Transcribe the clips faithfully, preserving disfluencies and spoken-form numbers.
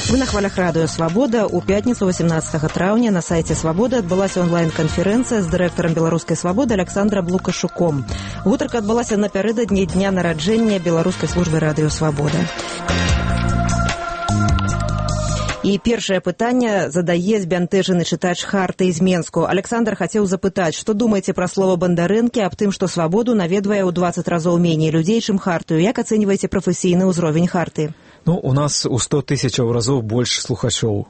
Вы на хвалях радыё «Свабода». У пятніцу восемнадцатага траўня на сайце «Свабоды» адбылася онлайн-канферэнцыя з дырэктарам беларускай «Свабоды» Александром Лукашуком. Гутарка адбылася напярэдадні дня нараджэння беларускай службы радыё «Свабода». І першае пытанне задае збянтэжаны чытач Харты з Менску. Александр хацеў запытаць, што думаеце пра слова Бандарэнкі аб тым, што «Свабоду» наведвае ў дваццаць разоў меней людзей, чым Хартыю. Як ацэньваеце прафесійны ўзровень Харты? Ну, у нас у сто тысячаў разоў больш слухачоў.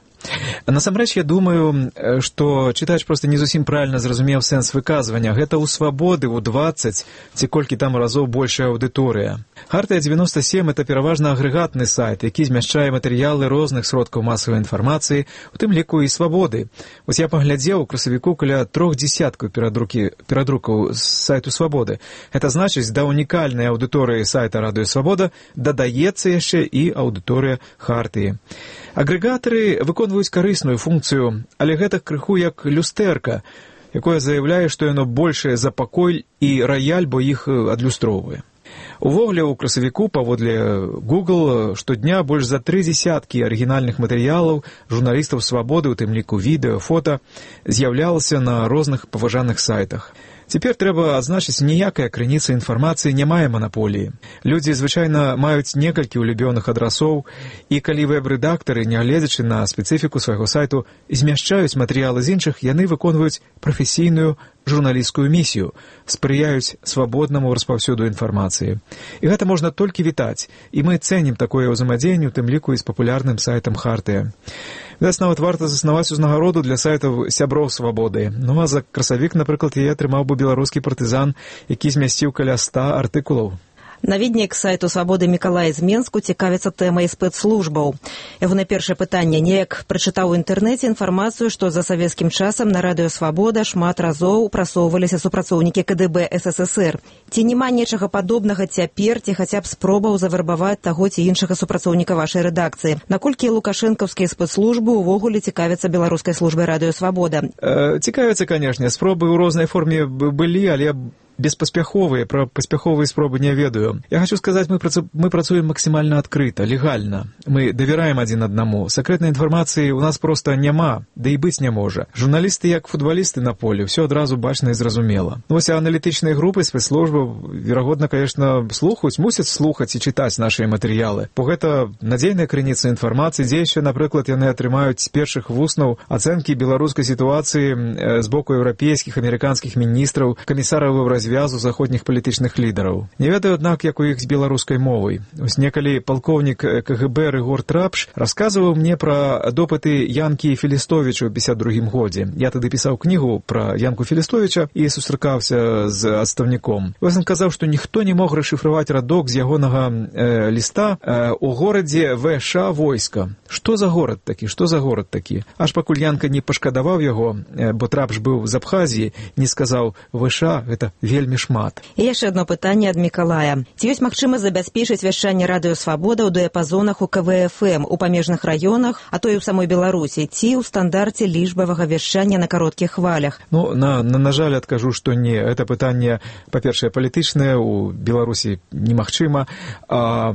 Насамрэч, я думаю, што чытач проста не зусім правільна зразумеў сэнс выказвання. Гэта ў «Свабоды» у дваццаць ці колькі там разоў большая аўдыторыя. Хартыя дзевяноста сем – это пераважна агрэгатны сайт, які змяшчае матэрыялы розных сродкаў масавай інфармацыі, у тым ліку і «Свабоды». Вось я паглядзеў у красавіку каля трох дзесяткаў перадрукаў з сайту «Свабоды». Гэта значыць, да унікальнай аўдыторыі сайта «Радыё Свабода» дадаецца яшчэ і аўдыторыя Хартыі. Агрэгатары выконваюць карысную функцыю, але гэта крыху як люстэрка, якое заяўляе, што яно большае за пакой і раяль, бо іх адлюстроўвае. Увогуле, у красавіку, паводле Google, штодня больш за тры дзесяткі арыгінальных матэрыялаў журналістаў «Свабоды», у тым ліку відэо, фота, з'яўлялася на розных паважаных сайтах. Цяпер трэба адзначыць, ніякая крыніца інфармацыі не мае манаполіі. Людзі звычайна маюць некалькі улюбёных адрасоў, і калі вэб-рэдактары, нягледзячы на спецыфіку свайго сайту, змяшчаюць матэрыялы з іншых, яны выконваюць прафесійную журналісцкую місію, спрыяюць свабоднаму распаўсюду інфармацыі. І гэта можна толькі вітаць, і мы цэнім такое ўзаемадзеянне, у тым ліку і з папулярным сайтам Хартыя. Відаць, нават варта заснаваць узнагароду для сайтаў сяброў «Свабоды». Ну, а за красавік, напрыклад, яе атрымаў бы беларускі партызан, які змясціў каля ста артыкулаў. Наведнік сайту «Свабоды» Мікалай з Менску цікавіцца тэмай спецслужбаў. Яго на першае пытанне неяк прачытаў у інтэрнэце інфармацыю, што за савецкім часам на радыё «Свабода» шмат разоў прасоўваліся супрацоўнікі ка дэ бэ эс эс эс эр. Ці няма нечага падобнага цяпер, ці хаця б спробаў завербаваць таго ці іншага супрацоўніка вашай рэдакцыі? Наколькі лукашэнкаўскія спецслужбы ўвогуле цікавяцца беларускай службай радыё «Свабода»? Э, цікавяцца, канешне. Спробы ў рознай форме былі, але беспаспяховыя, пра паспяховыя спробы не ведаю. Я хочу сказаць, мы, працу... мы працуем максімальна адкрыта, легальна. Мы давяраем адзін аднаму. Сакрэтнай інфармацыі у нас проста няма, да і быць не можа. Журналісты, як футбалісты на полі, ўсё адразу бачна і зразумела. Вось аналітычныя групы спецслужбаў, верагодна, конечно, слухаюць, мусяць слухаць і чытаць нашыя матэрыялы. Бо гэта надзейная крыніца інфармацыі, дзе яшчэ, напрыклад, яны атрымаюць з першых вуснаў ацэнкі беларускай сітуацыі з боку еўрапейскіх, амерыканскіх міністраў, камісараў развязу заходніх палітычных лідараў. Не ведаю, аднак, як у іх з беларускай мовай. Ось некалі палкоўнік ка гэ бэ Рыгор Трапш расказваў мне пра допыты Янкі Філістовіча ў пятьдесят другім годзе. Я тады пісаў кнігу пра Янку Філістовіча і сустракаўся з адстаўніком. Вось ён казаў, што ніхто не мог расшыфраваць радок з ягонага э, ліста э, у горадзе вэ ша войска. Што за горад такі? Што за горад такі? Аж пакуль Янка не пашкадаваў яго, э, бо Трапш быў з Абхазіі, не сказаў: вэ ша гэта вельмі шмат. І яшчэ одно пытанне ад Мікалая. Ці ёсць магчымасць забяспечыць вяшчанне радыё «Свабода» ў дыяпазонах у ка вэ эф эм, у памежных раёнах, а то і ў самой Беларусі, ці ў стандарце лічбавага вяшчання на кароткіх хвалях? Ну, на, на, на жаль, адкажу, што не. Гэта пытанне, па-першае, палітычнае, у Беларусі немагчыма, а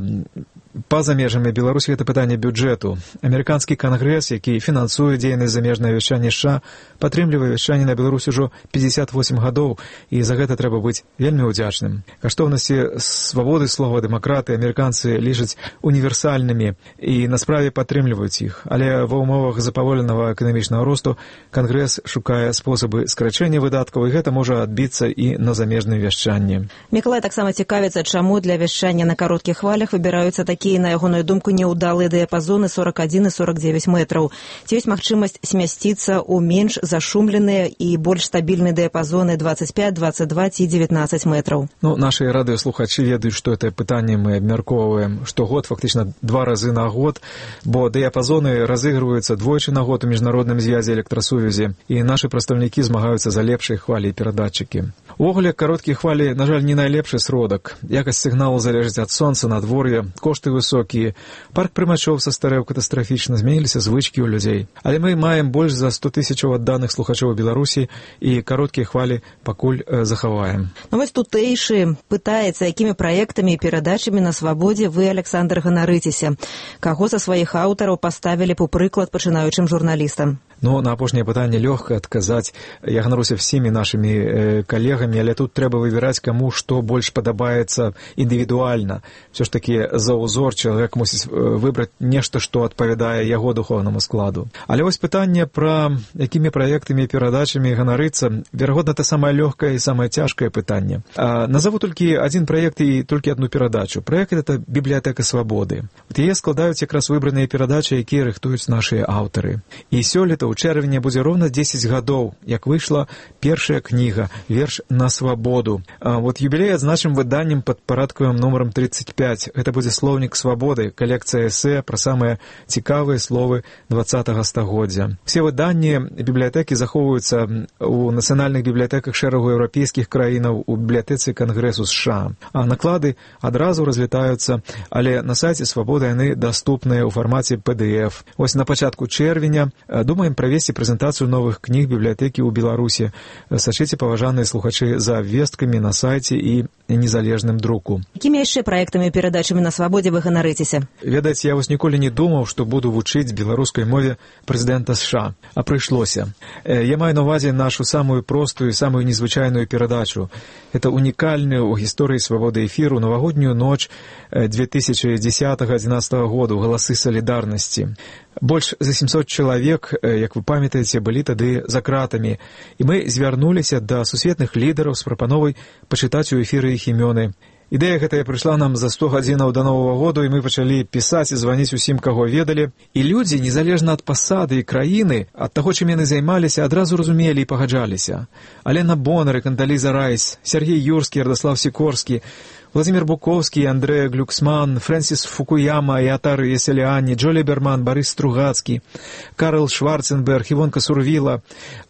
па-за межамі Беларусі гэта пытанне бюджэту. Амерыканскі кангрэс, які фінансуе дзейнасць замежнае вяшчанне США, падтрымлівае вяшчанне на Беларусі ўжо пятьдесят восемь гадоў, і за гэта трэба быць вельмі ўдзячным. Каштоўнасці свабоды слова, дэмакраты амерыканцы лічаць універсальнымі і на справе падтрымліваюць іх. Але ва ўмовах запаволенага эканамічнага росту кангрэс шукае спосабы скарачэння выдаткаў, і гэта можа адбіцца і на замежным вяшчанні. Мікалай таксама цікавіцца, чаму для вяшчання на кароткіх хвалях выбіраюцца такія, на ягоную думку, неўдалыя дыяпазоны сорок адзін і сорок дзевяць метраў. Ці ёсць магчымасць змясціцца ў менш зашумленыя і больш стабільныя дыяпазоны двадцать пять, двадцать два ці девятнадцать метраў? Ну, наши радыёслухачы ведаюць, што это пытанне мы абмяркоўваем штогод, фактычна два разы на год, бо дыяпазоны разыгрываюцца двойчы на год у міжнародным звязе электрасувязі, і нашы прадстаўнікі змагаюцца за лепшыя хвалі і перадатчыкі. Увогуле, кароткія хвалі, на жаль, не найлепшы сродак. Якасць сігналу залежыць ад сонца, надвор'я, кошты высокія, парк прымачоў састарэў катастрафічна, зменіліся звычкі ў людзей. Але мы маем больш за сто тысячаў адданых слухачоў у Беларусі і кароткія хвалі пакуль э, захаваем. Ну вось тутэйшы пытаецца, якімі праектамі і перадачамі на свабодзе вы, Александр, ганарыцеся. Каго са сваіх аўтараў паставілі б у прыклад пачынаючым журналістам? Ну, на апошняе пытанне лёгка адказаць. Я ганаруся всімі нашымі э, калегамі, але тут трэба выбіраць, каму што больш падабаецца індывідуальна. Всё ж такі за ўзор чалавек мусіць выбраць нешта, што адпавядае яго духоўнаму складу. Але вось пытанне пра якімі праектамі і перадачамі ганарыцца, верагодна, это самае лёгкае і самае цяжкае пытанне. А, назову толькі адзін праект і толькі адну перадачу. Праект — это бібліятэка свабоды. Вот яе складаюць якраз выбраныя перадачы, якія рыхтуюць нашыя аўтары. І сёлета у чэрвені будзе роўна дзесяць гадоў, як выйшла першая кніга «Верш на свабоду». А, вот юбілей адзначым выданнем пад парадкавым нумарам тридцать пять. Гэта будзе слоўнік свабоды, калекцыя эсэ пра самыя цікавыя словы двадцатага стагоддзя. Все выданні бібліятэкі захоўваюцца у нацыянальных бібліятэках шэрагу еўрапейскіх краінаў, у бібліятэцы Кангрэсу США. А наклады адразу разлетаюцца, але на сайце «Свабода» яны даступныя ў фармаце пэ дэ эф. Вось на пачатку чэрвеня думаем правесці прэзентацыю новых кніг бібліятэкі ў Беларусі. Сачыце, паважаныя слухачы, за абвесткамі на сайце і незалежным друку. Якімі яшчэ праектамі і перадачамі на свабодзе вы ганарыцеся? Ведаеце, я вось ніколі не думаў, што буду вучыць беларускай мове прэзідэнта США, а прыйшлося. Я маю на ўвазе нашу самую простую і самую незвычайную перадачу. Это унікальную ў гісторыі свабоды эфіру навагоднюю ноч две тысячи десятого — одиннадцатого году «Галасы салідарнасці». Больш за семьсот чалавек, як вы памятаеце, былі тады за кратамі, і мы звярнуліся да сусветных лідараў з прапановай пачытаць у эфіры іх імёны. Ідэя гэтая прыйшла нам за сто гадзінаў да Новага году, і мы пачалі пісаць і званіць усім, каго ведалі. І людзі, незалежна ад пасады і краіны, ад таго, чым яны займаліся, адразу разумелі і пагаджаліся. Алена Бонар і Кандаліза Райс, Сергей Юрскі, Радослав Сікорскі, Владимир Буковский, Андреа Глюксман, Фрэнсіс Фукуяма, Ятар Еселяні, Джо Ліберман, Барыс Стругацкі, Карл Шварценберг, Івонка Сурвіла.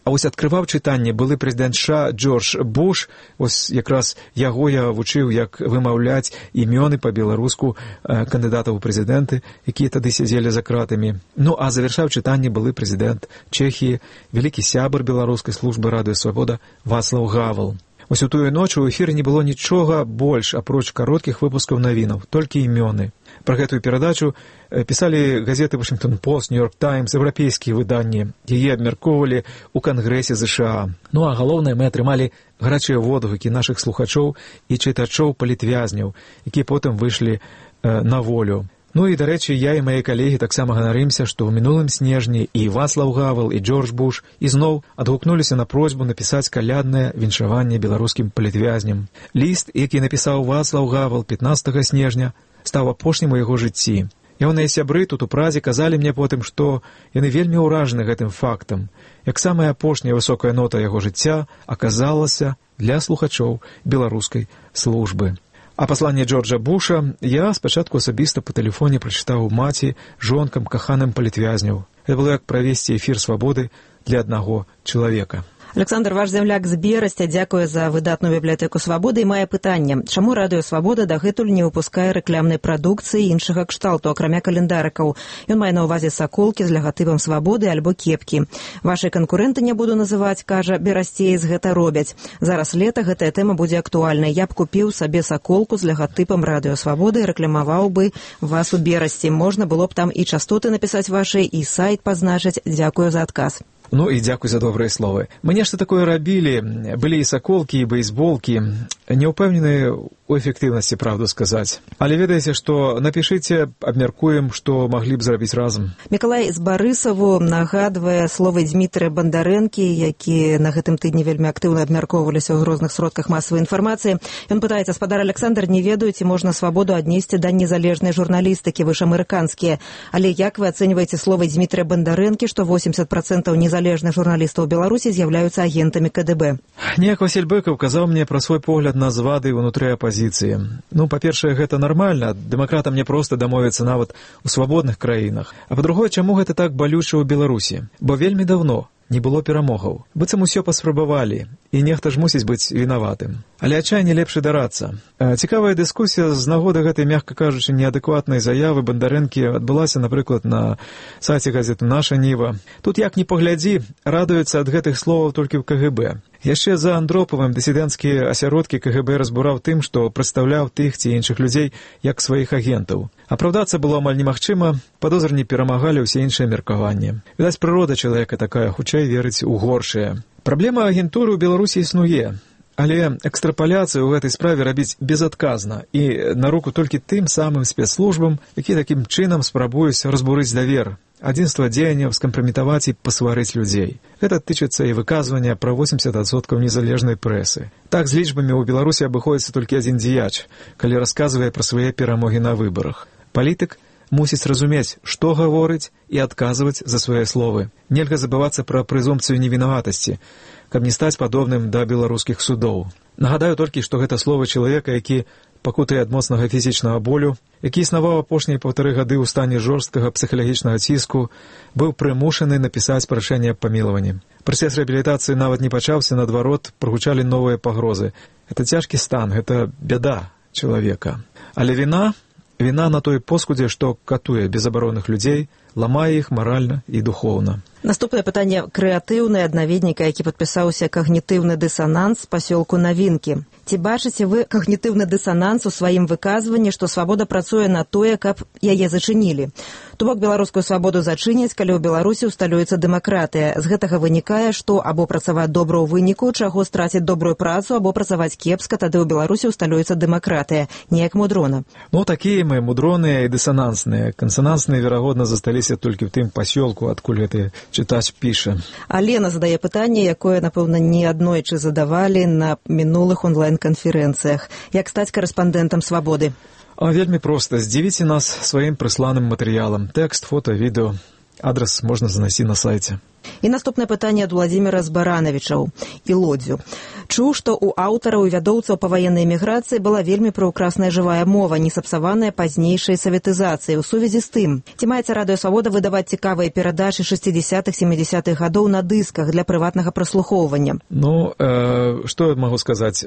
А вось адкрываў чытанне былы прэзідэнт США Джордж Буш. Вось якраз яго я вучыў, як вымаўляць імёны па-беларуску кандыдатаў у прэзідэнты, якія тады сядзелі за кратамі. Ну, а завяршаў чытанне былы прэзідэнт Чэхіі, вялікі сябар беларускай службы «Радыё Свабода» Вацлаў Гавал. Вось у тую ноч у эфіры не было нічога больш, апроч кароткіх выпускаў навінаў, толькі імёны. Пра гэтую перадачу пісалі газеты «Вашингтон Пост», «Нью-Йорк Таймс», еўрапейскія выданні. Яе абмяркоўвалі ў Кангрэсе США. Ну а галоўнае, мы атрымалі гарачыя водгукі нашых слухачоў і чытачоў палітвязняў, якія потым выйшлі э, на волю. Ну і, дарэчы, я і мае калегі таксама ганарымся, што ў мінулым снежні і Вацлаў Гавал, і Джордж Буш ізноў адгукнуліся на просьбу напісаць каляднае віншаванне беларускім палітвязням. Ліст, які напісаў Вацлаў Гавал пятнадцатага снежня, стаў апошнім у яго жыцці. Ягоныя сябры тут у Празе казалі мне потым, што яны вельмі ўражаны гэтым фактам, як самая апошняя высокая нота яго жыцця аказалася для слухачоў беларускай службы. А пасланне Джорджа Буша я спачатку асабіста па тэлефоне прачытаў маці, жонкам, каханым палітвязняў. Гэта было як правесці эфір свабоды для аднаго чалавека. Александр, ваш земляк з Берасця дзякуе за выдатную бібліятэку свабоды і мае пытанне. Чаму Радыё Свабода дагэтуль не выпускае рэкламнай прадукцыі іншага кшталту, акрамя календарыкаў? Ён мае на ўвазе саколкі з лагатыпам свабоды альбо кепкі. Вашы канкурэнты, не буду называць, кажа, берасцеец гэта робяць. Зараз лета, гэтая тэма будзе актуальнай. Я б купіў сабе саколку з лагатыпам Радыё Свабоды і рэкламаваў бы вас у Берасці. Можна было б там і частоты напісаць вашы, і сайт пазначыць. Дзякую за адказ. Ну і дзякуй за добрыя словы. Мы нешта такое рабілі, былі і саколкі, і бейсболкі. Не ўпэўнены у эфектыўнасці, правду сказаць. Але ведаеце, што напішыце, абмяркуем, што маглі б зрабіць разам. Мікалай з Барысаву нагадвае словы Дзмітрыя Бандарэнкі, які на гэтым тыдні вельмі актыўна абмяркоўваліся ў розных сродках масавай інфармацыі. Ён пытаецца: спадар Александр, не ведаю, ці можна свабоду аднесці да незалежнай журналістыкі, вы ж амерыканскія. Але як вы ацэньваеце словы Дзмітрыя Бандарэнкі, што восемьдесят процентов незалежных журналістаў Беларусі з'яўляюцца агентамі ка дэ бэ? Неяк Васіль Быкаў казаў мне пра свой погляд на звады ўнутры апазіцыі. Ну, па-першае, гэта нармальна. Дэмакратам не проста дамовіцца нават у свабодных краінах. А па-другое, чаму гэта так балюча ў Беларусі? Бо вельмі давно, не было перамогаў. Быццам усё паспрабавалі, і нехта ж мусіць быць вінаватым. Але адчайне лепш і дарацца. Цікавая дыскусія з нагоды гэтай, мякка кажучы, неадэкватнай заявы Бандарэнкі адбылася, напрыклад, на сайце газеты «Наша Ніва». Тут, як ні паглядзі, радуюцца ад гэтых словаў толькі ў ка гэ бэ. Яшчэ за Андропавым дысідэнцкія асяродкі ка гэ бэ разбураў тым, што прадстаўляў тых ці іншых людзей як сваіх агентаў. Апраўдацца было амаль немагчыма, падозрні перамагалі ўсе іншыя меркаванні. Відаць, прырода чалавека такая, хутчэй верыць у горшае. Праблема агентуры ў Беларусі існуе, але экстрапаляцыю ў гэтай справе рабіць безадказна і на руку толькі тым самым спецслужбам, які такім чынам спрабуюць разбурыць давер, адзінства дзеянняў, скампраметаваць і пасварыць людзей. Гэта тычыцца і выказвання пра восемьдесят адсоткаў незалежнай прэсы. Так з лічбамі ў Беларусі абыходзіцца толькі адзін дзеяч, калі расказвае пра свае перамогі на выбарах. Палітык мусіць разумець, што гаворыць і адказваць за свае словы. Нельга забывацца пра прэзумпцыю невінаватасці, каб не стаць падобным да беларускіх судоў. Нагадаю толькі, што гэта словы чалавека, які пакутае ад моцнага фізічнага болю, які існаваў апошнія паўтары гады ў стане жорсткага псіхалагічнага ціску, быў прымушаны напісаць прашэнне аб памілаванні. Працэс рэабілітацыі нават не пачаўся, наадварот, прагучалі новыя пагрозы. Гэта цяжкі стан, гэта бяда чалавека. Але віна, віна на той поскудзе, што катуе безабаронных людзей, ламае іх маральна і духоўна. Наступнае пытанне крэатыўнае ад наведніка, які падпісаўся «Когнітыўны дысананс» з пасёлку Навінкі. Ці бачыце вы когнітыўны дысананс у сваім выказванні, што свабода працуе на тое, каб яе зачынілі? То бок беларускую свабоду зачыняць, калі ў Беларусі ўсталюецца дэмакратыя. З гэтага вынікае, што або працаваць добра ў выніку, чаго страціць добрую працу, або працаваць кепска, тады ў Беларусі ўсталюецца дэмакратыя. Неяк мудрона. Ну, такія мы мудроныя і дысанансныя. Кансанансныя, верагодна, засталіся толькі ў тым пасёлку, адкуль гэты чытач піша. Алена задае пытанне, якое, напэўна, не аднойчы задавалі на мінулых онлайн-канферэнцыях. Як стаць карэспандэнтам «Свабоды»? А вельмі проста. Здзівіце нас сваім прысланым матэрыялам. Тэкст, фота, відэо. Адрес можна занайсці на сайце. І наступнае пытанне ад Владзіміра з Баранавічаў і Лодзю. Чуў, што ў аўтараў і вядоўцаў па ваеннай эміграцыі была вельмі прыўкрасная жывая мова, не сапсаваная пазнейшай саветызацыяй. У сувязі з тым, ці маецца Радыё Свабода выдаваць цікавыя перадачы шэсцідзесятых-сямідзесятых гадоў на дысках для прыватнага праслухоўвання? Ну, э, што я магу сказаць?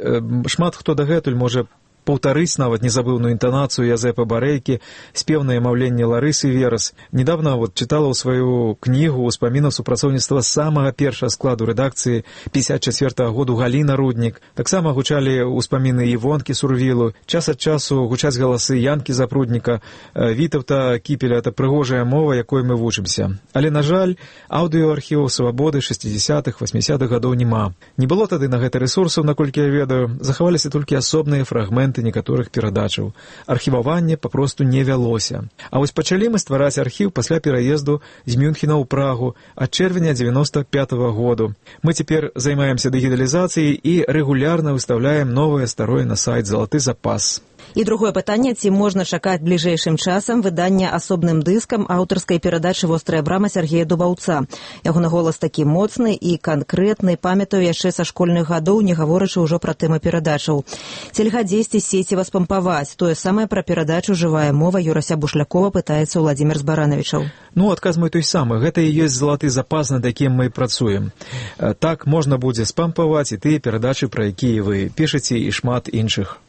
Шмат хто дагэтуль можа паўтарыць нават незабыўную інтанацыю Язэпа Барэйкі, спеўнае маўленне Ларысы Верас. Недавно вот чытала ў сваю кнігу ўспамінаў супрацоўніцтва самага першага складу рэдакцыі пятьдесят четвёртага году Галіна Руднік. Таксама гучалі ўспаміны Івонкі Сурвілу. Час ад часу гучаць галасы Янкі Запрудніка, Вітаўта Кіпеля. Это прыгожая мова, якой мы вучымся. Але, на жаль, аўдыёархіваў «Свабоды» шэсцідзесятых, васьмідзесятых гадоў няма. Не было тады на гэта рэсурсаў, наколькі я ведаю. Захаваліся толькі асобныя фрагменты некаторых перадачаў. Архіваванне папросту не вялося. А вось пачалі мы ствараць архіў пасля пераезду з Мюнхена ў Прагу ад чэрвеня дзевяносто пятага году. Мы цяпер займаемся дыгіталізацыяй і рэгулярна выстаўляем новае старое на сайт «Залаты запас». І другое пытанне, ці можна чакаць бліжэйшым часам выдання асобным дыскам аўтарскай перадачы «Вострая брама» Сергея Дубаўца. Ягоны голас такі моцны і канкрэтны, памятаю яшчэ са школьных гадоў, не гаворачы ўжо пра тэмы перадачаў. Цельга дзесьці сеціва спампаваць. Тое самае пра перадачу «Жывая мова» Юрася Бушлякова пытаецца Владзімір з Баранавічаў. Ну, адказ мой той самы. Гэта і ёсць залаты запас, над якім мы працуем. Так можна будзе спампаваць і тыя перадачы, пра якія вы пішаце, і шмат іншых.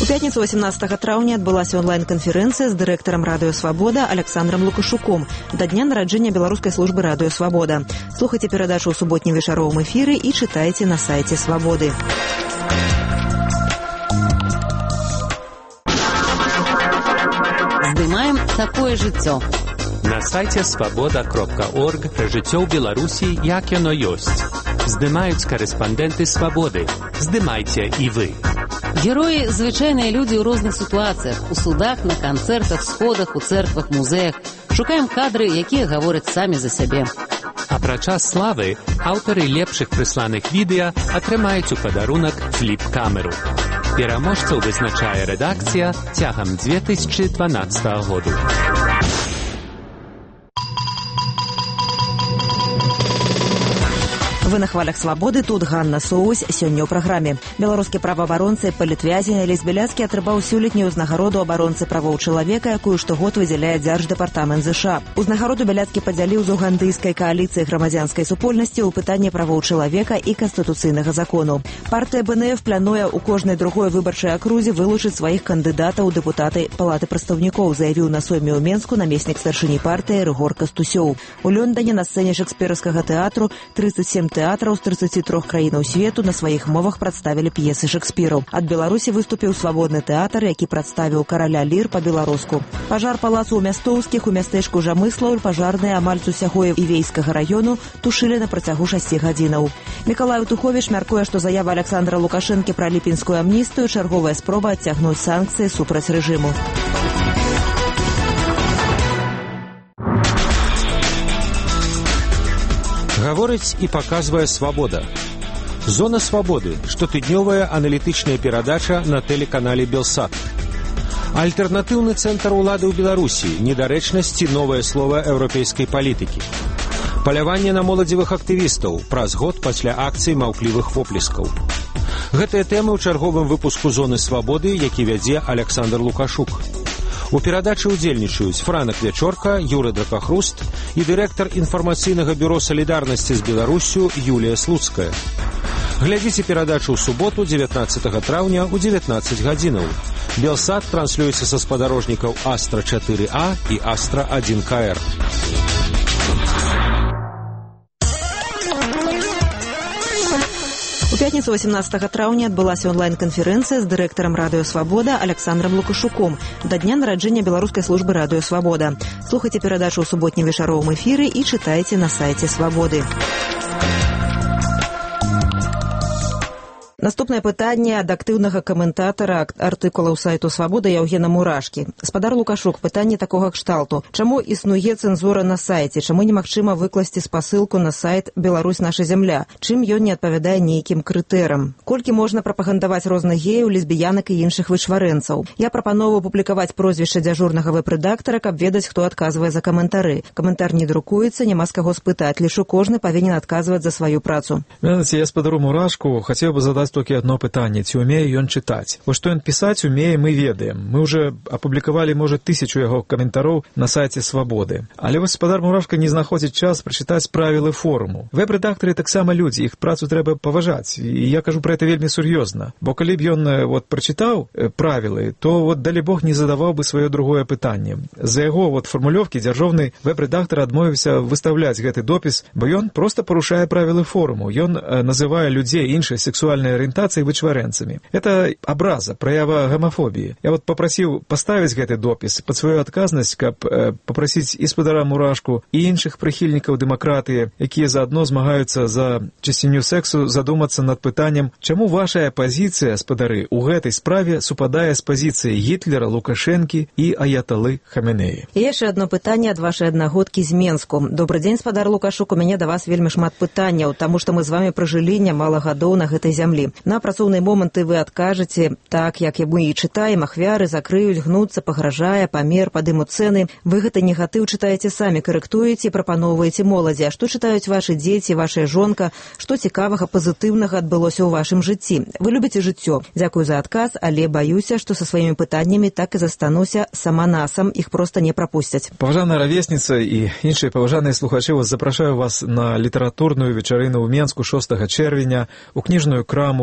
У пятніцу восемнадцатага траўня адбылася онлайн-канферэнцыя з дырэктарам Радыё Свабода Александром Лукашуком да дня нараджэння беларускай службы Радыё Свабода. Слухайце перадачу ў суботнім вечаровым эфіры і чытайце на сайце Свабоды. Здымаем такое жыццё. На сайце свабода кропка орг пра жыццё ў Беларусі, як яно ёсць. Здымаюць карэспандэнты Свабоды. Здымайце і вы. Героі – звычайныя людзі ў розных сітуацыях, у судах, на канцэртах, сходах, у цэрквах, музеях. Шукаем кадры, якія гавораць самі за сябе. Апрача славы, аўтары лепшых прысланых відэа атрымаюць у падарунак фліп-камеру. Пераможцаў вызначае рэдакцыя цягам две тысячы дванаццатага году. Вы на хвалях свабоды, тут Ганна Соусь, сёння ў праграме. Беларускі праваабаронцы, палітвязень Алесь Беляцкі атрымаў сёлетнюю ўзнагароду абаронцы правоў чалавека, якую штогод выдзяляе Дзярждэпартамент ЗША. Узнагароду Беляцкі падзяліў з угандыйскай кааліцыі грамадзянскай супольнасці ў пытанні правоў чалавека і канстытуцыйнага закону. Партыя БНФ плануе ў кожнай другой выбарчай акрузе вылучыць сваіх кандыдатаў у дэпутаты Палаты прадстаўнікоў, заявіў на сойме ў Менску намеснік старшыні партыі Рыгор Кастусёў. У Лёндане на сцэне шекспіраўскага тэатру тридцать семь тэатраў з тридцати трёх краінаў свету на сваіх мовах прадставілі п'есы Шекспіру. Ад Беларусі выступіў свабодны тэатр, які прадставіў караля лір па-беларуску. Пажар палацу ў Мястоўскіх у мястэчку Жамыслаў пажарныя амаль з усяго Івейскага раёну тушылі на працягу шасці гадзінаў. Мікалай Туховіч мяркуе, што заява Александра Лукашэнкі пра ліпенскую амністыю чарговая спроба адцягнуць санкцыі супраць рэжыму. Гаворыць і паказвае свабода. Зона свабоды, штотыднёвая аналітычная перадача на тэлеканале Белсат. Альтэрнатыўны цэнтр улады ў Беларусі, недарэчнасці, новае слова еўрапейскай палітыкі. Паляванне на моладзевых актывістаў праз год пасля акцый маўклівых воплескаў. Гэтыя тэмы ў чарговым выпуску зоны свабоды, які вядзе Александр Лукашук. У перадачы ўдзельнічаюць Франак Вячорка, Юры Дракахруст і дырэктар інфармацыйнага бюро салідарнасці з Беларуссю Юлія Слуцкая. Глядзіце перадачу ў суботу, дзевятнаццатага траўня ў дзевятнаццаць гадзінаў. Белсат транслюецца са спадарожнікаў Астра чатыры А і Астра адзін К Р. У пятніцу восемнадцатага траўня адбылася онлайн-канферэнцыя з дырэктарам радыё «Свабода» Александром Лукашуком да дня нараджэння беларускай службы радыё «Свабода». Слухайце перадачу ў суботнім вечаровым эфіры і чытайце на сайце «Свабоды». Наступнае пытанне ад актыўнага каментатара артыкулаў сайту «Свабода» Яўгена Мурашкі. Спадар Лукашук, пытанне такога кшталту. Чаму існуе цэнзура на сайце? Чаму немагчыма выкласці спасылку на сайт «Беларусь наша зямля»? Чым ён не адпавядае нейкім крытэрам? Колькі можна прапагандаваць розных геяў, лесбіянак і іншых вычварэнцаў? Я прапановую публікаваць прозвішча дзяжурнага вэб-рэдактара, каб ведаць, хто адказвае за каментары. Каментар не друкуецца, няма з каго спытаць. Лічу, кожны павінен адказваць за сваю працу. Ведаце, я спадару Мурашку хацеў бы задаць толькі одно пытанне, ці умее ён чытаць. Вось што ён пісаць умее, мы ведаем. Мы уже апублікавалі, можа, тысячу яго каментароў на сайце «Свабоды». Але вось спадар Мурашка не знаходзіць час прачытаць правілы форуму. Вэб-рэдактары таксама людзі, іх працу трэба паважаць. І я кажу пра гэта вельмі сур'ёзна. Бо калі б ён вот прачытаў правілы, то вот далі Бог не задаваў бы сваё другое пытанне. За яго вот фармулёвкі дзяржаўны вэб-рэдактар адмовіўся выстаўляць гэты допіс, бо ён проста парушае правілы форуму. Ён называе людзей іншай сексуальнай арыентацыі вычварэнцамі. Это абраза, праява гомафобіі. Я вот папрасіў паставіць гэты допіс пад сваю адказнасць, каб э, папрасіць і спадара Мурашку, і іншых прыхільнікаў дэмакратыі, якія заадно змагаюцца за чысціню сексу, задумацца над пытаннем, чаму вашая пазіцыя, спадары, у гэтай справе супадае з пазіцыяй Гітлера, Лукашэнкі і аяталы Хаменеі. І яшчэ адно пытанне ад вашай аднагодкі з Менску. Добры дзень, спадар Лукашук, у мяне да вас вельмі шмат пытанняў, таму што мы з вамі пражылі нямала гадоў на гэтай зямлі. На працоўныя моманты вы адкажаце, так, як мы і чытаем, ахвяры закрыюць, гнуцца, пагражае, памер, падымуць цэны. Вы гэты негатыў чытаеце самі, карэктуеце, прапаноўваеце моладзі. А што чытаюць вашы дзеці, вашая жонка? Што цікавага, пазітыўнага адбылося ў вашым жыцці? Вы любіце жыццё. Дзякую за адказ, але баюся, што са сваімі пытаннямі так і застануся сама насам, іх проста не прапусцяць. Паважаная равесніца і іншыя паважаныя слухачы, вас запрашаю вас на літаратурную вечарыну ў Менску шостага чэрвеня у кніжную краму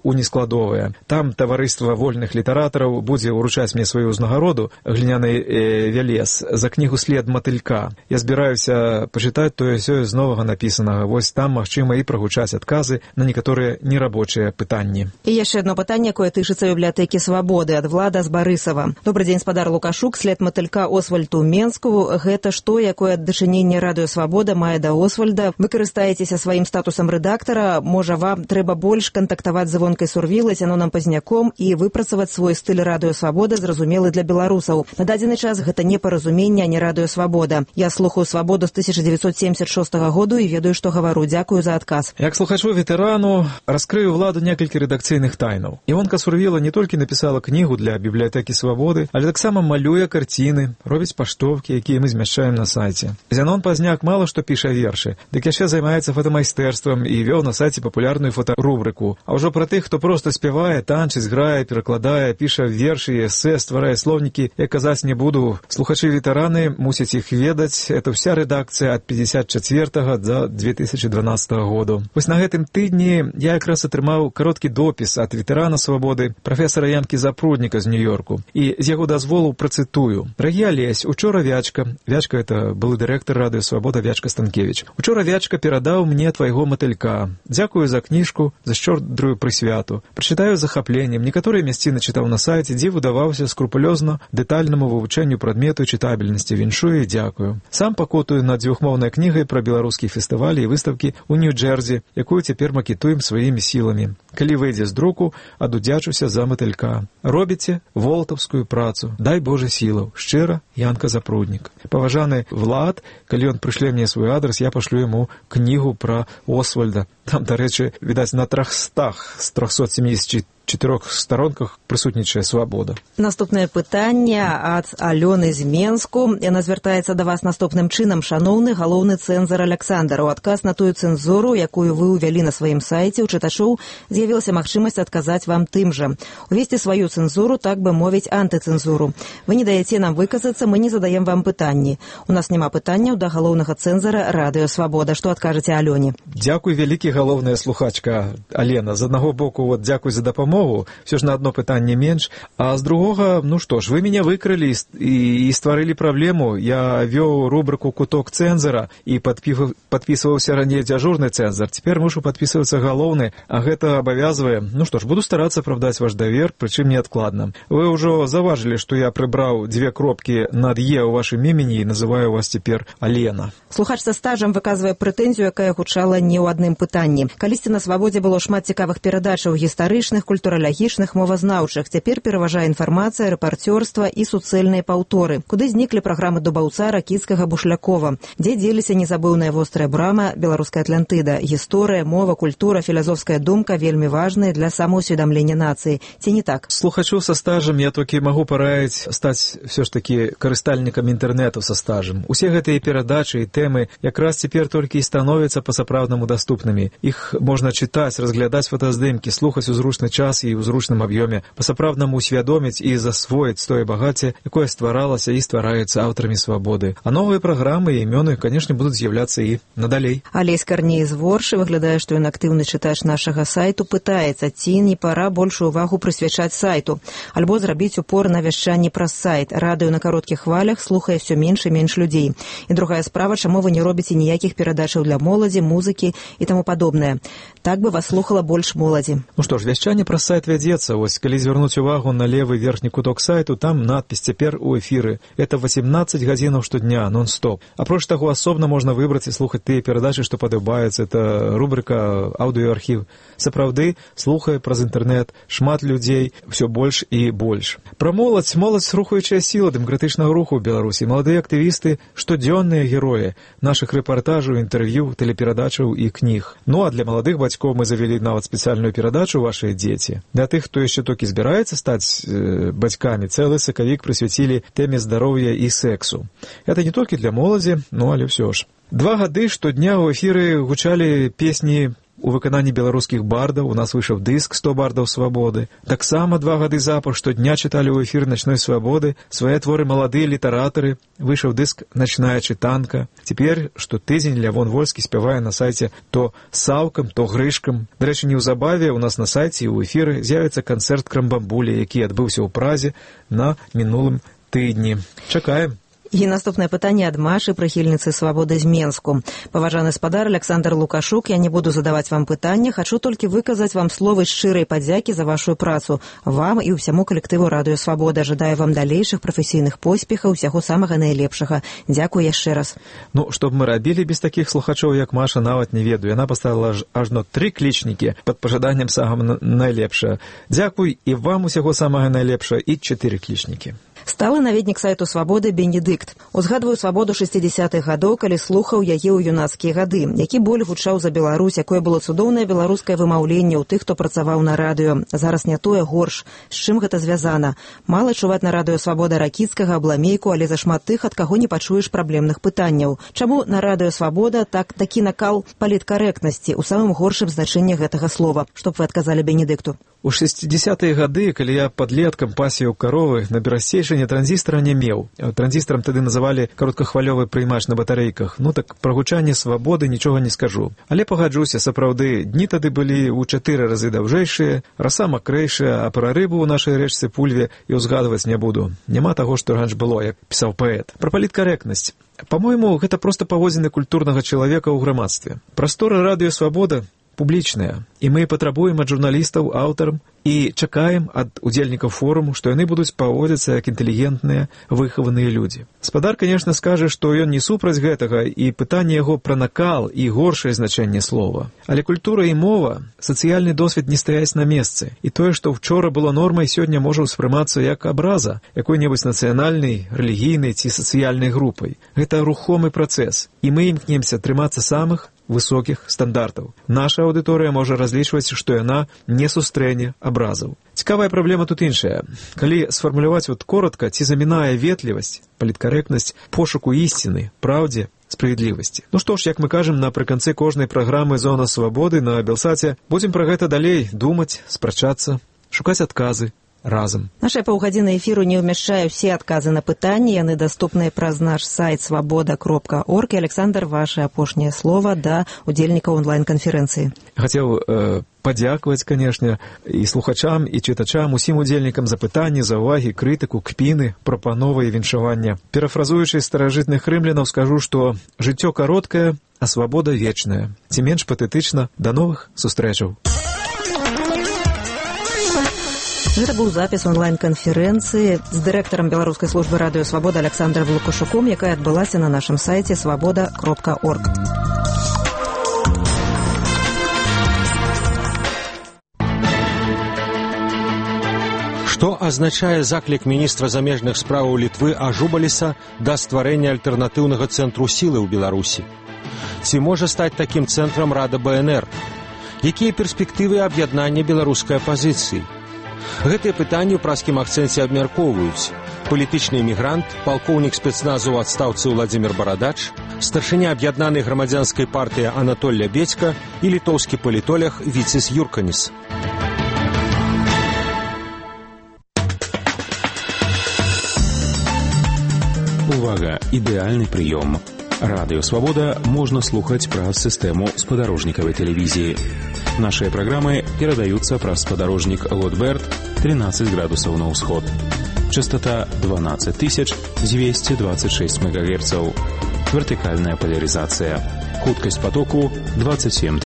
«Унескладовая». Там таварыства вольных літаратараў будзе ўручаць мне сваю ўзнагароду, гліняны э, вялез, за кнігу «След матылька». Я збіраюся пачытаць тое-сёе з новага напісанага. Вось там магчыма і прагучаць адказы на некаторыя нерабочыя пытанні. І яшчэ адно пытанне, якое тычыцца бібліятэкі «Свабоды» ад Влада з Барысава. Добры дзень, спадар Лукашук, «След матылька» Освальду Менску. Гэта што, якое дачыненне радыё «Свабода» мае да Освальда? Вы карыстаецеся сваім статусам рэдактара, можа, вам трэба больш кантактаваць скантактаваць з Івонкай Сурвілай, Зяноном Пазняком і выпрацаваць свой стыль радыё «Свабода», зразумелы для беларусаў. На дадзены час гэта не паразуменне, а не радыё «Свабода». Я слухаю «Свабоду» з тысяча девятьсот семьдесят шестого году і ведаю, што гавару. Дзякую за адказ. Як слухачу-ветэрану раскрыю ўладу некалькі рэдакцыйных тайнаў. Івонка Сурвіла не толькі напісала кнігу для бібліятэкі «Свабоды», але таксама малюе карціны, робіць паштоўкі, якія мы змяшчаем на сайце. Зянон Пазняк мала што піша вершы, дык яшчэ займаецца фотамайстэрствам і вёў на сайце папулярную фотарубрыку. А ўжо пра тых, хто проста спявае, танчыць, грае, перакладае, піша вершы, эсэ, стварае слоўнікі, я казаць не буду. Слухачы-ветэраны мусяць іх ведаць. Это вся рэдакцыя ад пятьдесят четвёртого до две тысячи дванадцатого году. Вось на гэтым тыдні я якраз атрымаў кароткі допіс ад ветэрана «Свабоды» прафесара Янкі Запрудніка з Нью-Йорку. І з яго дазволу працытую. Дарагі Алесь, учора Вячка, Вячка это былы дырэктар радыё «Свабода» Вячка Станкевич. Учора Вячка перадаў мне твайго матылька. Дзякую за кніжку, за шчодрую прысвяту. Прачытаю з захапленнем. Некаторыя мясціны чытаў на сайце, дзе выдаваўся скрупулёзна дэтальнаму вывучэнню прадмету чытабельнасці. Віншую і дзякую. Сам пакутую над дзвюхмоўнай кнігай пра беларускія фестывалі і выставкі ў Нью-Джерзі, якую цяпер макетуем сваімі сіламі. Калі выйдзе з друку, адудзячуся за матылька. Робіце волтаўскую працу. Дай Божа сілаў. Шчыра, Янка Запруднік. Паважаны Влад, калі ён прышле мне свой адрес, я пашлю яму кнігу пра Освальда. Там, дарэчы, відаць, на трохстах з трохсот семидесяти чатырох старонках прысутнічае «Свабода». Наступнае пытанне ад Алёны з Менску. Яна звяртаецца да вас наступным чынам. Шаноўны галоўны цэнзар Аляксандр, у адказ на тую цэнзуру, якую вы ўвялі на сваім сайце, у чытачоў з'явілася магчымасць адказаць вам тым жа. Увесці сваю цэнзуру, так бы мовіць, антыцэнзуру. Вы не даеце нам выказацца, мы не задаем вам пытанні. У нас няма пытанняў да галоўнага цэнзара радыё «Свабода». Што адкажаце Алёне? Дзякуй, вялікі галоўная слухачка Алена. З аднаго боку, вот, дзякуй за дапамогу, все ж на одно пытанне менш, а з другога, ну што ж, вы мяне выкрылі і, і, і стварылі праблему. Я вёў рубрыку «Куток цэнзара» і падпісваўся раней дзяжурны цэнзар. Цяпер мушу падпісвацца галоўны, а гэта абавязвае. Ну што ж, буду старацца апраўдаць ваш давер, прычым неадкладна. Вы ўжо заўважылі, што я прыбраў дзве кропкі над «е» ў вашым імені і называю вас цяпер Алена. Слухач са стажам выказвае прэтэнзію, якая гучала не ў адным пытанні. Калісьці на «Свабодзе» было шмат цікавых перадачаў гістарычных, культуралагічных, мовазнаўчых. Цяпер пераважае інфармацыя, рэпарцёрства і суцэльныя паўторы. Куды зніклі праграмы Дубаўца, Ракіцкага, Бушлякова? Дзе дзеліся незабыўная вострая брама, беларуская Атлантыда? Гісторыя, мова, культура, філазофская думка вельмі важныя для самаўсведамлення нацыі. Ці не так? Слухачу са стажам я толькі магу параіць стаць все ж такі карыстальнікам інтэрнэту са стажам. Усе гэтыя перадачы і тэмы якраз цяпер толькі і становяцца па-сапраўднаму даступнымі. Іх можна чытаць, разглядаць фотаздымкі, слухаць у зручны час і ў зручным аб'ёме, па-сапраўднаму усвядоміць і засвоіць тое багацце, якое стваралася і ствараецца аўтарамі «Свабоды». А новыя праграмы і імёны, канешне, будуць з'яўляцца і надалей. Алесь Карней з Воршы, выглядае, што ён актыўны чытач нашага сайту, пытаецца, ці не пара большую увагу прысвячаць сайту, альбо зрабіць упор на вяшчанні праз сайт. Радыё на кароткіх хвалях слухае ўсё менш і менш людзей. І другая справа, чаму вы не робіце ніякіх перадачаў для моладзі, музыкі і таму падобнае. Так бы вас слухала больш моладзі. Ну што ж, вяшчанне праз сайт вядзецца. Вось, калі звярнуць увагу на левы верхні куток сайту, там надпіс «Цяпер у эфіры». Это восемнадцать гадзінаў штодня, нон-стоп. Апроч таго, асобна можна выбраць і слухаць тыя перадачы, што падабаюцца. Это рубрика «Аўдыёархіў». Сапраўды, слухае праз інтэрнэт шмат людзей, ўсё больш і больш. Пра моладзь. Моладзь — рухаючая сіла дэмакратычнага руху ў Беларусі. Маладыя актывісты — штодзённыя героі нашых рэпартажаў, інтэрв'ю, тэлеперадачаў і кніг. Ну, а для маладых бацькоў мы завялі нават спецыяльную перадачу «Вашыя дзеці». Для тых, хто яшчэ толькі збіраецца стаць э, бацькамі, цэлы сакавік прысвяцілі тэме здароўя і сексу. Это не толькі для моладзі, ну, але ўсё ж. Два гады штодня ў эфіры гучалі песні у выкананні беларускіх бардаў. У нас выйшаў дыск «сто бардаў свабоды». Таксама два гады запар штодня чыталі ў эфір «Начной свабоды» свае творы маладыя літаратары. Выйшаў дыск «Начная чытанка». Цяпер штотыдзень Лявон Вольскі спявае на сайце то саўкам, то грышкам. Дарэчы, неўзабаве у нас на сайце і ў эфіры з'явіцца канцэрт «Крамбамбулі», які адбыўся ў Празе на мінулым тыдні. Чакаем. І наступнае пытанне ад Машы, прыхільніцы свабоды з Менску. Паважаны спадар Александр Лукашук, я не буду задаваць вам пытання, хачу толькі выказаць вам словы шчырай падзякі за вашу працу. Вам і ўсяму калектыву Радыё Свабода. Жадаю вам далейшых прафесійных поспехаў, усяго самага найлепшага. Дзякуй яшчэ раз. Ну, што б мы рабілі без такіх слухачоў, як Маша, нават не ведаю. Яна паставіла ажно тры клічнікі пад пажаданнем самага найлепшага. Дзякуй і вам усяго самага найлепшага і чатыры клічнікі. Сталы наведнік сайту «Свабоды» Бенедыкт. Узгадваю свабоду шэсцідзясятых гадоў, калі слухаў яе ў юнацкія гады. Які боль гучаў за Беларусь, якое было цудоўнае беларускае вымаўленне ў тых, хто працаваў на радыё. Зараз не тое, горш. З чым гэта звязана? Мала чуваць на радыё «Свабода» Ракіцкага, Абламейку, але зашмат тых, ад каго не пачуеш праблемных пытанняў. Чаму на радыё «Свабода» так такі накал паліткарэктнасці ў самым горшым значэнні гэтага слова? Што б вы адказалі Бенедыкту? У шэсцідзясятыя гады, калі я падлеткам пасеяў каровы, на берасцейшыне транзістара не меў. Транзістарам тады называлі кароткахвалёвы прыймач на батарэйках. Ну так пра гучанне свабоды нічога не скажу. Але пагаджуся, сапраўды, дні тады былі ў чатыры разы даўжэйшыя, раса макрэйшая, а пра рыбу ў нашай рэчцы Пульве і ўзгадваць не буду. Няма таго, што раньш было, як пісаў паэт. Пра паліткарэктнасць. Па-мойму, гэта проста паводзіны культурнага чалавека ў грамадстве. Прастора радыё «Свабода» публічная, і мы патрабуем ад журналістаў, аўтарам і чакаем ад удзельнікаў форуму, што яны будуць паводзіцца як інтэлігентныя, выхаваныя людзі. Спадар, канешне, скажа, што ён не супраць гэтага, і пытанне яго пра накал і горшае значэнне слова. Але культура і мова, сацыяльны досвед не стаяць на месцы, і тое, што вчора было нормай, сёння можа ўспрымацца як абраза якой-небудзь нацыянальнай, рэлігійнай ці сацыяльнай групай. Гэта рухомы працэс, і мы імкнемся трымацца самых высокіх стандартаў. Наша аўдыторыя можа разлічваць, што яна не сустрэне абразаў. Цікавая праблема тут іншая. Калі сфармуляваць вот коротка, ці замінае ветлівасць, паліткарэктнасць пошуку ісціны, праўдзе, справядлівасці. Ну што ж, як мы кажам напрыканцы кожнай праграмы «Зона свабоды» на Белсаце, будзем пра гэта далей думаць, спрачацца, шукаць адказы разам. Наша паўгадзіна эфіру не ўмяшчае ўсе адказы на пытанні, яны даступныя праз наш сайт свабода кропка орг. І, Александр, ваше апошняе слова да удзельнікаў онлайн-канферэнцыі. Хацеў э, падзякаваць, канешне, і слухачам, і чытачам, усім удзельнікам за пытанні, за ўвагі, крытыку, кпіны, прапановы і віншавання. Перафразуючы старажытных рымлянаў, скажу, што жыццё кароткае, а свабода вечная. Ці менш патэтычна, да новых сустрэчаў. Гэта быў запіс онлайн-канферэнцыі з дырэктарам беларускай службы радыё «Свабода» Александром Лукашуком, якая адбылася на нашым сайце свабода кропка орг. Што азначае заклік міністра замежных справаў Літвы Ажубаліса да стварэння альтэрнатыўнага цэнтру сілы ў Беларусі? Ці можа стаць такім цэнтрам Рада бэ эн эр? Якія перспектывы аб'яднання беларускай апазіцыі? Гэтыя пытанні ў праскім акцэнце абмяркоўваюць палітычны эмігрант, палкоўнік спецназу ў адстаўцы Владзімір Барадач, старшыня аб'яднанай грамадзянскай партыі Анатолля Бедзька і літоўскі палітолог Віцис Юрканіс. Увага! Ідэальны прыём. Радыё «Свабода» можна слухаць праз сістэму спадарожнікавай тэлевізіі. Нашыя праграмы перадаюцца праз спадарожнік Лотберт тринадцать градусаў на ўсход. Частота дванадцать тысяч двести двадцать шесть мегагерцаў. Вертыкальная поляризация. Хуткасць потоку двадцать семь